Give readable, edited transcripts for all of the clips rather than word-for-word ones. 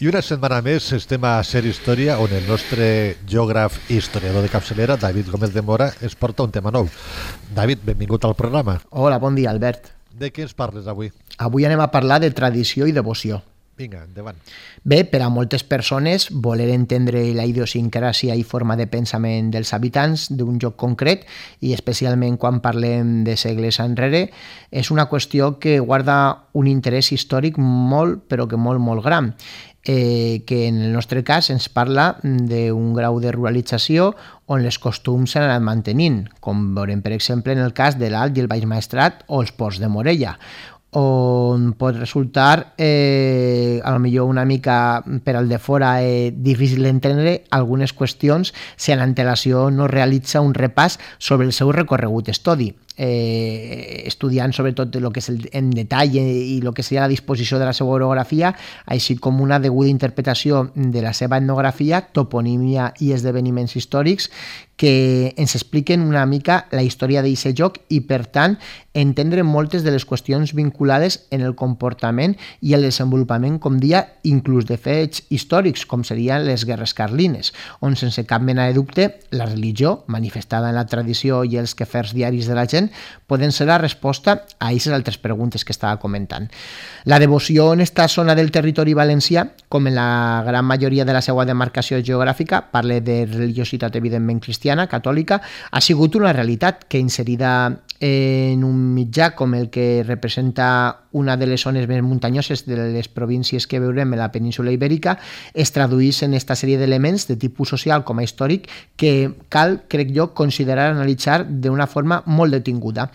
I una setmana més estem a Ser Història, on el nostre geògraf i historiador de capçalera, David Gómez de Mora, ens porta un tema nou. David, benvingut al programa. Hola, bon dia, Albert. De què ens parles avui? Avui anem a parlar de tradició i devoció. Vinga, endavant. Bé, per a moltes persones, voler entendre la idiosincràsia i forma de pensament dels habitants d'un lloc concret, i especialment quan parlem de segles enrere, és una qüestió que guarda un interès històric molt, però que molt gran. Que en el nostre cas ens parla d'un grau de ruralització on els costums s'han anat mantenint, com veurem per exemple en el cas de l'Alt i el Baix Maestrat o els ports de Morella, on pot resultar a lo millor una mica per al de fora difícil d'entendre algunes qüestions si amb antelació no realitza un repàs sobre el seu recorregut estudi. Estudiant sobretot el que és en detall i el que seria la disposició de la seva orografia, així com una deguda interpretació de la seva etnografia, toponímia i esdeveniments històrics que ens expliquen una mica la història d'aquest lloc i, per tant, entendre moltes de les qüestions vinculades en el comportament i el desenvolupament, com dia, inclús de fets històrics, com serien les guerres carlines, on, sense cap mena de dubte, la religió, manifestada en la tradició i els quefers diaris de la gent, poden ser la resposta a aquestes altres preguntes que estava comentant. La devoció en esta zona del territori valencià, com en la gran majoria de la seva demarcació geogràfica, parla de religiositat evidentment cristiana, catòlica, ha sigut una realitat que, inserida en un mitjà com el que representa una de les zones més muntanyoses de les províncies que veurem en la península ibèrica, es traduís en aquesta sèrie d'elements de tipus social com a històric que cal, crec jo, considerar analitzar d'una forma molt detinguda.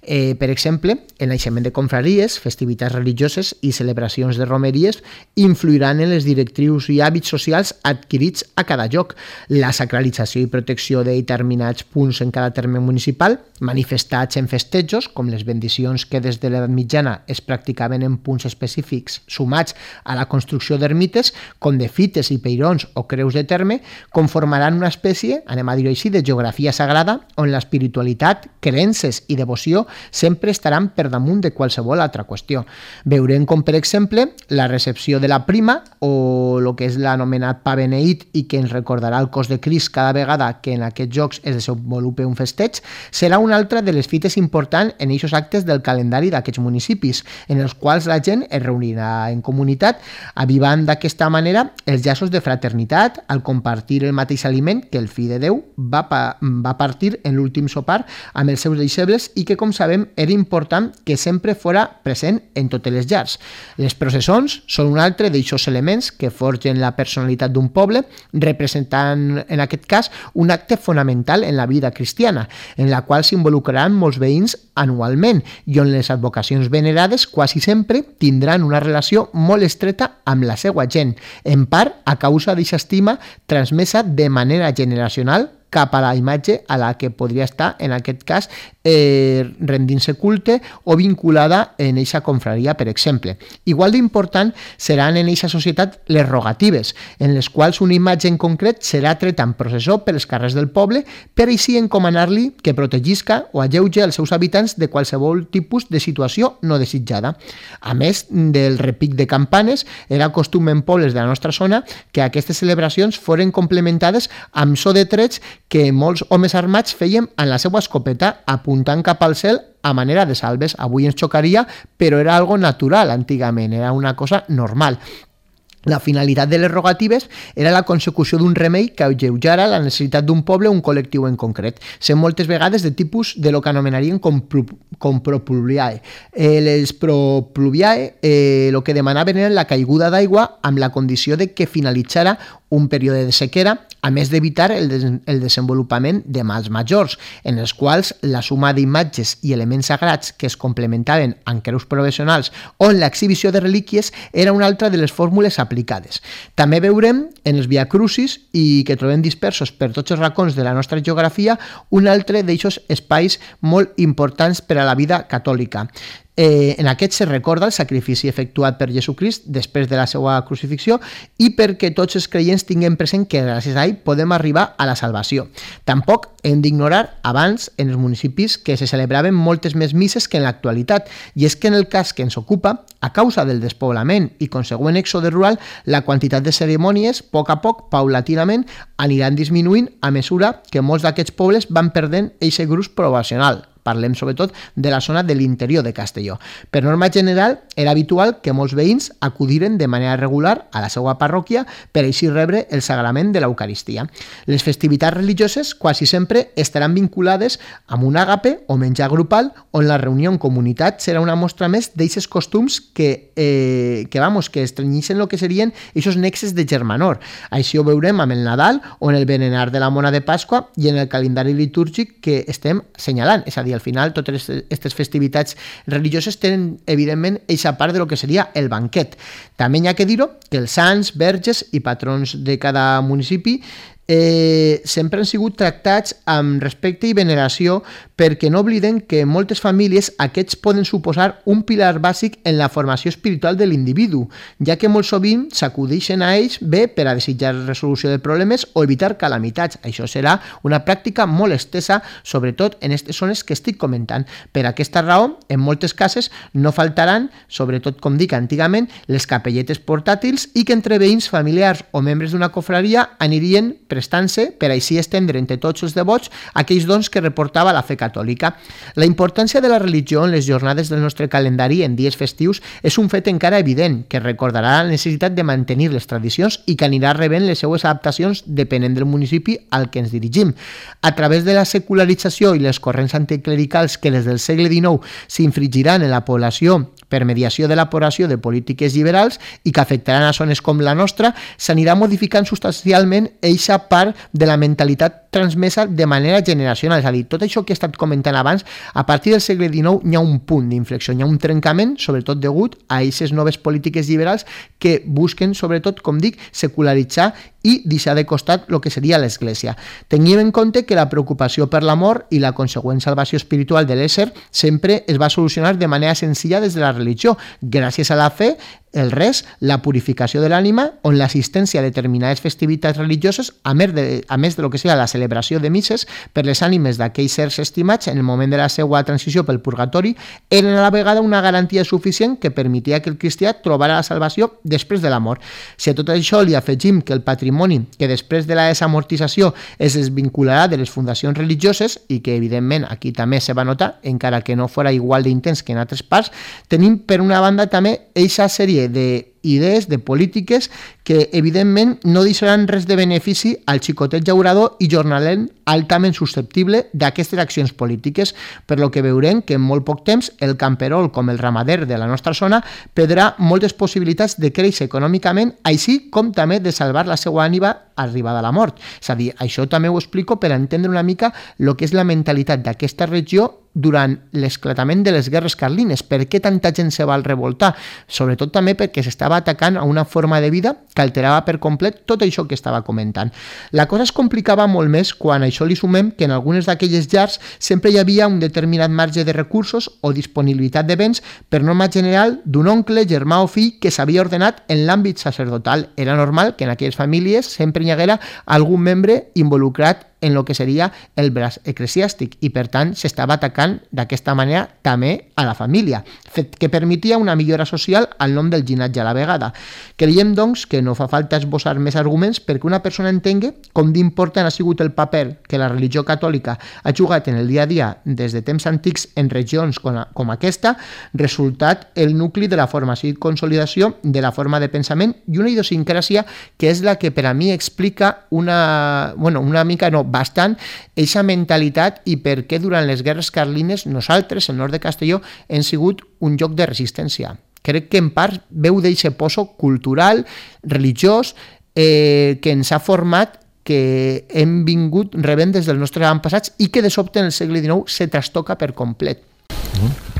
Per exemple, el naixement de confraries, festivitats religioses i celebracions de romeries influiran en les directrius i hàbits socials adquirits a cada lloc. La sacralització i protecció de determinats punts en cada terme municipal, manifestats en festejos, com les bendicions que des de l'edat mitjana es practicaven en punts específics, sumats a la construcció d'ermites, com de fites i peirons o creus de terme, conformaran una espècie, anem a dir-ho així, de geografia sagrada, on l'espiritualitat, creences i devoció sempre estaran per damunt de qualsevol altra qüestió. Veurem com, per exemple, la recepció de la prima o el que és l'anomenat pa beneït i que ens recordarà el cos de Crist cada vegada que en aquests jocs es desenvolupa un festeig, serà una altra de les fites importants en aquests actes del calendari d'aquests municipis, en els quals la gent es reunirà en comunitat, avivant d'aquesta manera els llaços de fraternitat al compartir el mateix aliment que el fill de Déu va partir en l'últim sopar amb els seus deixebles i que, com sabem, era important que sempre fora present en totes les llars. Les processons són un altre d'eixos elements que forgen la personalitat d'un poble, representant, en aquest cas, un acte fonamental en la vida cristiana, en la qual s'involucraran molts veïns anualment i on les advocacions venerades quasi sempre tindran una relació molt estreta amb la seva gent, en part a causa d'aquesta estima transmesa de manera generacional cap a la imatge a la que podria estar, en aquest cas, rendint-se culte o vinculada en eixa confraria, per exemple. Igual d'important seran en eixa societat les rogatives, en les quals una imatge en concret serà treta en processó per els carrers del poble per així encomanar-li que protegisca o alleuge els seus habitants de qualsevol tipus de situació no desitjada. A més del repic de campanes, era costum en pobles de la nostra zona que aquestes celebracions foren complementades amb so de trets que molts homes armats feien en la seva escopeta apuntant cap al cel a manera de salves. Avui ens xocaria, però era algo natural antigament, era una cosa normal. La finalitat de les rogatives era la consecució d'un remei que alleujara la necessitat d'un poble o un col·lectiu en concret, sent moltes vegades de tipus de lo que anomenarien com propluviae. Les propluviae el que demanaven era la caiguda d'aigua amb la condició de que finalitzara un període de sequera, a més d'evitar el desenvolupament de mals majors, en els quals la suma d'imatges i elements sagrats que es complementaven amb creus provisionals o en l'exhibició de relíquies era una altra de les fórmules aplicades. També veurem en els viacrucis i que trobem dispersos per tots els racons de la nostra geografia un altre d'eixos espais molt importants per a la vida catòlica. En aquest se recorda el sacrifici efectuat per Jesucrist després de la seva crucifixió i perquè tots els creients tinguem present que gràcies a ell podem arribar a la salvació. Tampoc hem d'ignorar abans en els municipis que se celebraven moltes més misses que en l'actualitat, i és que en el cas que ens ocupa, a causa del despoblament i consegüent èxode rural, la quantitat de cerimònies, a poc, paulatinament, aniran disminuint a mesura que molts d'aquests pobles van perdent eixe gruix poblacional. Parlem sobretot de la zona de l'interior de Castelló. Per norma general, era habitual que molts veïns acudiren de manera regular a la seva parròquia per així rebre el sagrament de l'Eucaristia. Les festivitats religioses quasi sempre estaran vinculades amb un àgape o menjar grupal, on la reunió en comunitat serà una mostra més d'eixes costums que estrenyixen el que serien aquests nexes de germanor. Així ho veurem amb el Nadal o en el berenar de la Mona de Pasqua i en el calendari litúrgic que estem senyalant. És a dir, al final totes aquestes festivitats religioses tenen evidentment eixa part de lo que seria el banquet. També hi ha que dir-ho que els sants, verges i patrons de cada municipi sempre han sigut tractats amb respecte i veneració, perquè no obliden que en moltes famílies aquests poden suposar un pilar bàsic en la formació espiritual de l'individu, ja que molt sovint s'acudeixen a ells bé per a desitjar resolució de problemes o evitar calamitats. Això serà una pràctica molt estesa, sobretot en aquestes zones que estic comentant. Per aquesta raó, en moltes cases no faltaran, sobretot com dic antigament, les capelletes portàtils i que entre veïns, familiars o membres d'una confraria anirien prestant-se per així estendre entre tots els devots aquells dons que reportava la fe catòlica. La importància de la religió en les jornades del nostre calendari en dies festius és un fet encara evident, que recordarà la necessitat de mantenir les tradicions i que anirà rebent les seues adaptacions depenent del municipi al que ens dirigim. A través de la secularització i les corrents anticlericals que des del segle XIX s'infligiran en la població per mediació de l'elaboració de polítiques liberals i que afectaran a zones com la nostra, s'anirà modificant substancialment eixa part de la mentalitat transmesa de manera generacional. És a dir, tot això que he estat comentant abans, a partir del segle XIX hi ha un punt d'inflexió, hi ha un trencament, sobretot degut a aquestes noves polítiques liberals que busquen, sobretot, com dic, secularitzar i deixar de costat el que seria l'Església. Tinguem en compte que la preocupació per l'amor i la consegüent salvació espiritual de l'ésser sempre es va solucionar de manera senzilla des de la religió, gràcies a la fe, el res, la purificació de l'ànima, on l'assistència a determinades festivitats religioses, a més de lo que sigui la celebració de misses per les ànimes d'aquells sers estimats en el moment de la seva transició pel purgatori, eren a la vegada una garantia suficient que permetia que el cristià trobara la salvació després de la mort. Si a tot això li afegim que el patrimoni que després de la desamortització es desvincularà de les fundacions religioses i que evidentment aquí també se va notar, encara que no fora igual d'intens que en altres parts, tenim per una banda també eixa sèrie d'idees, de polítiques que evidentment no deixaran res de benefici al xicotet llaurador i jornaler altament susceptible d'aquestes accions polítiques, per lo que veurem que en molt poc temps el camperol com el ramader de la nostra zona perdrà moltes possibilitats de créixer econòmicament, així com també de salvar la seva ànima arribada a la mort. És a dir, això també ho explico per entendre una mica el que és la mentalitat d'aquesta regió durant l'esclatament de les guerres carlines. Per què tanta gent se va revoltar? Sobretot també perquè s'estava atacant a una forma de vida que alterava per complet tot això que estava comentant. La cosa es complicava molt més quan a això li sumem que en algunes d'aquelles llars sempre hi havia un determinat marge de recursos o disponibilitat de béns per norma general d'un oncle, germà o fill que s'havia ordenat en l'àmbit sacerdotal. Era normal que en aquelles famílies sempre hi haguera algun membre involucrat en el que seria el braç eclesiàstic i per tant s'estava atacant d'aquesta manera també a la família, fet que permetia una millora social al nom del llinatge a la vegada. Creiem doncs que no fa falta esbossar més arguments perquè una persona entengui com d'important ha sigut el paper que la religió catòlica ha jugat en el dia a dia des de temps antics en regions com aquesta, resultat el nucli de la formació i consolidació de la forma de pensament i una idiosincràsia que és la que per a mi explica bastant eixa mentalitat i per què durant les guerres carlines nosaltres, el nord de Castelló, hem sigut un lloc de resistència. Crec que en part veu d'eixe poso cultural, religiós, que ens ha format, que hem vingut rebent des dels nostres avantpassats i que de sobte en el segle XIX se trastoca per complet.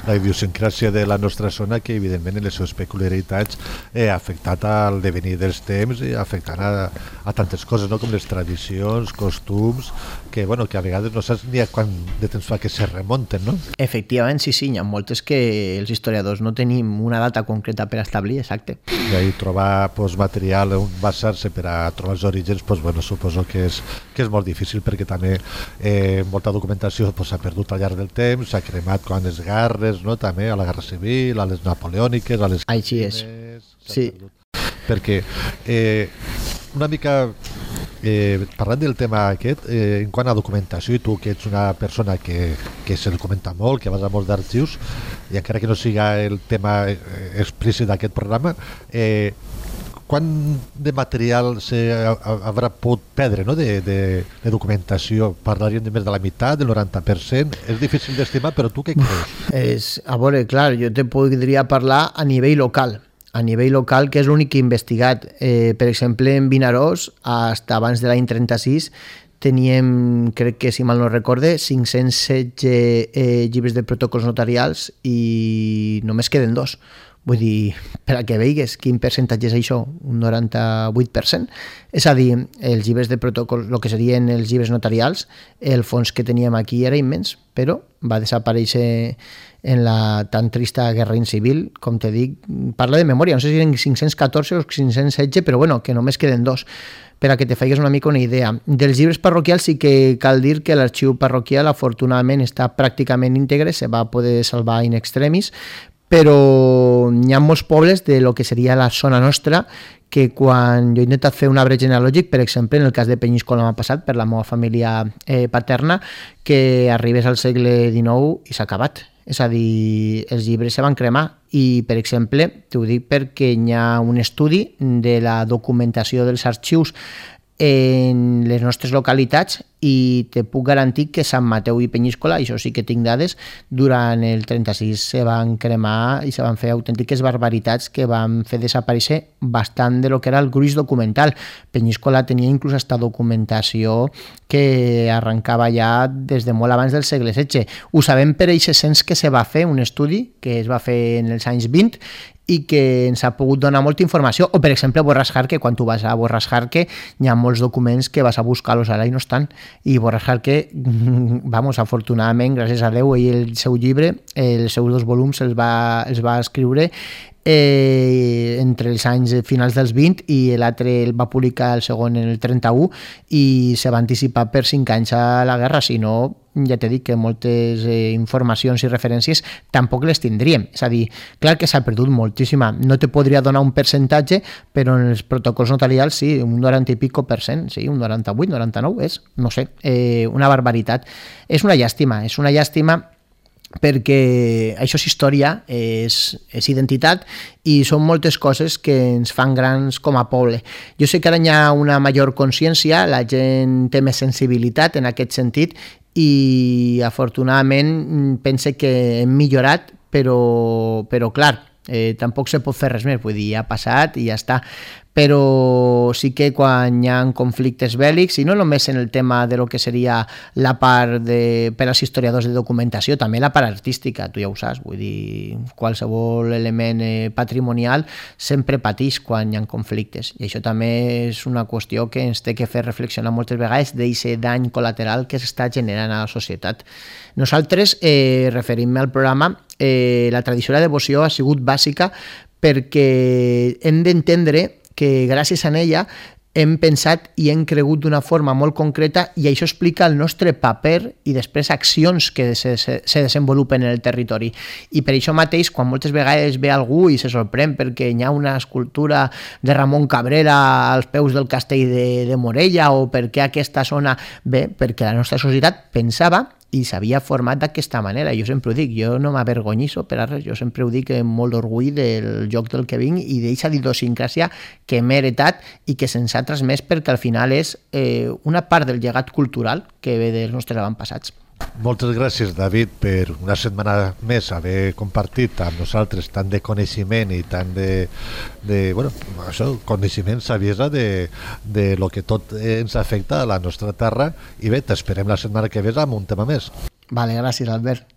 La idiosincràsia de la nostra zona, que evidentment en les seves peculiaritats ha afectat al devenir dels temps i afectant a tantes coses, no? Com les tradicions, costums, que, bueno, que a vegades no saps ni a quant de temps fa que se remunten, no? Efectivament, sí, hi ha moltes que els historiadors no tenim una data concreta per establir, exacte. I ahí trobar material on basar-se per a trobar els orígens, bueno, suposo que és molt difícil, perquè també molta documentació s'ha perdut al llarg del temps, s'ha cremat quan les guerres, no? També a la Guerra Civil, a les napoleòniques, a les... Així és, sí. Perquè una mica parlant del tema aquest, en quant a documentació, i tu que ets una persona que se documenta molt, que vas a molts d'arxius, i encara que no siga el tema explícit d'aquest programa, quant de material haurà pogut perdre, no? de documentació? Parlaríem de més de la meitat, del 90%? És difícil d'estimar, però tu què creus? A veure, clar, jo te podria parlar a nivell local, que és l'únic que he investigat. Per exemple, en Vinaròs, fins abans de l'any 36, teníem, crec que si mal no recorde, 516 llibres de protocols notarials i només queden 2. Vull dir, per a que veigues quin percentatge és això, un 98%. És a dir, els llibres de protocol, el que serien els llibres notarials, el fons que teníem aquí era immens, però va desaparèixer en la tan trista guerra civil, com te dic, parla de memòria, no sé si eren 514 o 516, però bueno, que només queden 2. Per a que te faigues una mica una idea. Dels llibres parroquials sí que cal dir que l'arxiu parroquial afortunadament està pràcticament íntegre, se va poder salvar in extremis, però hi ha molts pobles de lo que seria la zona nostra que quan jo he intentat fer un arbre genealògic, per exemple, en el cas de Penyíscola m'ha passat per la meva família paterna, que arribés al segle XIX i s'ha acabat. És a dir, els llibres se van cremar i, per exemple, t'ho dic perquè hi ha un estudi de la documentació dels arxius en les nostres localitats i te puc garantir que Sant Mateu i Penyíscola, això sí que tinc dades, durant el 36 se van cremar i se van fer autèntiques barbaritats que van fer desaparèixer bastant de lo que era el gruix documental. Penyíscola tenia inclús esta documentació que arrencava ja des de molt abans del segle XVI. Ho sabem per aquest cens que se va fer, un estudi que es va fer en els anys 20 i que ens ha pogut donar molta informació. O, per exemple, Borràs Jarque, quan tu vas a Borràs Jarque, hi ha molts documents que vas a buscar-los ara i no estan. I Borràs Jarque, vamos, afortunadament, gràcies a Déu, ell el seu llibre, els seus 2 volums els va escriure entre els anys finals dels 20 i l'altre el va publicar el segon en el 31 i se va anticipar per 5 anys a la guerra, si no ja t'he dit que moltes informacions i referències tampoc les tindríem. És a dir, clar que s'ha perdut moltíssima. No te podria donar un percentatge, però en els protocols notarials sí, un 90 i pico %, sí, un 98, 99, és, no sé, una barbaritat. És una llàstima perquè això és història, és identitat i són moltes coses que ens fan grans com a poble. Jo sé que ara hi ha una major consciència, la gent té més sensibilitat en aquest sentit i afortunadament pense que hem millorat, però clar, tampoc se pot fer res més, vull dir, ja ha passat i ja està. Però sí que quan hi ha conflictes bèl·lics, i no només en el tema de lo que seria la part per als historiadors de documentació, també la part artística, tu ja ho saps, vull dir, qualsevol element patrimonial sempre pateix quan hi ha conflictes, i això també és una qüestió que ens té que fer reflexionar moltes vegades d'aquest dany col·lateral que s'està generant a la societat. Nosaltres, referint-me al programa, la tradició de la devoció ha sigut bàsica perquè hem d'entendre que gràcies a ella hem pensat i hem cregut d'una forma molt concreta i això explica el nostre paper i després accions que se desenvolupen en el territori. I per això mateix, quan moltes vegades ve algú i se sorprèn perquè hi ha una escultura de Ramon Cabrera als peus del castell de Morella o perquè aquesta zona... Bé, perquè la nostra societat pensava i s'havia format d'aquesta manera. Jo sempre ho dic, jo no m'avergonyiso per a res, jo sempre ho dic amb molt d'orgull del lloc del que vinc i d'aquesta idiosincràsia que m'he heretat i que se'ns ha transmès perquè al final és una part del llegat cultural que ve dels nostres avantpassats. Moltes gràcies, David, per una setmana més haver compartit amb nosaltres tant de coneixement i tant de bueno, això, coneixement, saviesa de lo que tot ens afecta a la nostra terra i bé, t'esperem la setmana que ve amb un tema més. Vale, gràcies, Albert.